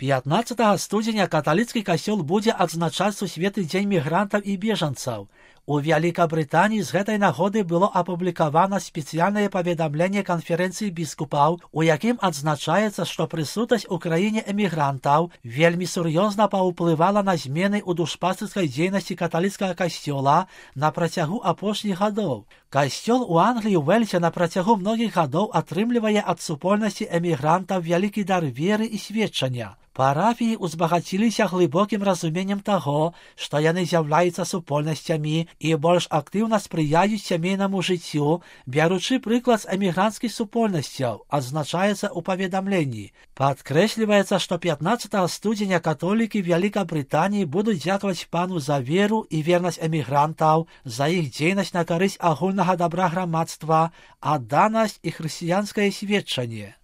15 студзеня каталіцкі касцёл будзе адзначаць сусветны дзень мігрантаў і бежанцаў. У Вялікабрытаніі з гэтай нагоды было апублікавана спецыяльнае паведамленне канферэнцыі біскупаў, у якім адзначаецца, што прысутнасць у краіне эмігрантаў вельмі сур'ёзна паўплывала на змены ў душпастырскай дзейнасці каталіцкага касцёла на працягу апошніх гадоў. Касцёл у Англіі Уэльсе на працягу многіх гадоў атрымлівае ад супольнасці эмігрантаў вялікі дар веры і сведчання. Парафіі узбагаціліся глыбокім разуменнем таго, што яны з'яўляюцца супольнасцямі і больш актыўна спрыяюць сямейнаму жыццю, бяручы прыклад з эмігранцкіх супольнасцяў, адзначаецца ў паведамленні. Падкрэсліваецца, што 15 студзеня католікі Вялікабрытаніі будуць дзякаваць пану за веру і вернасць эмігрантаў, за іх дзейнасць на карысць агульнага дабра грамадства, адданасць і хрысціянскае сведчанне.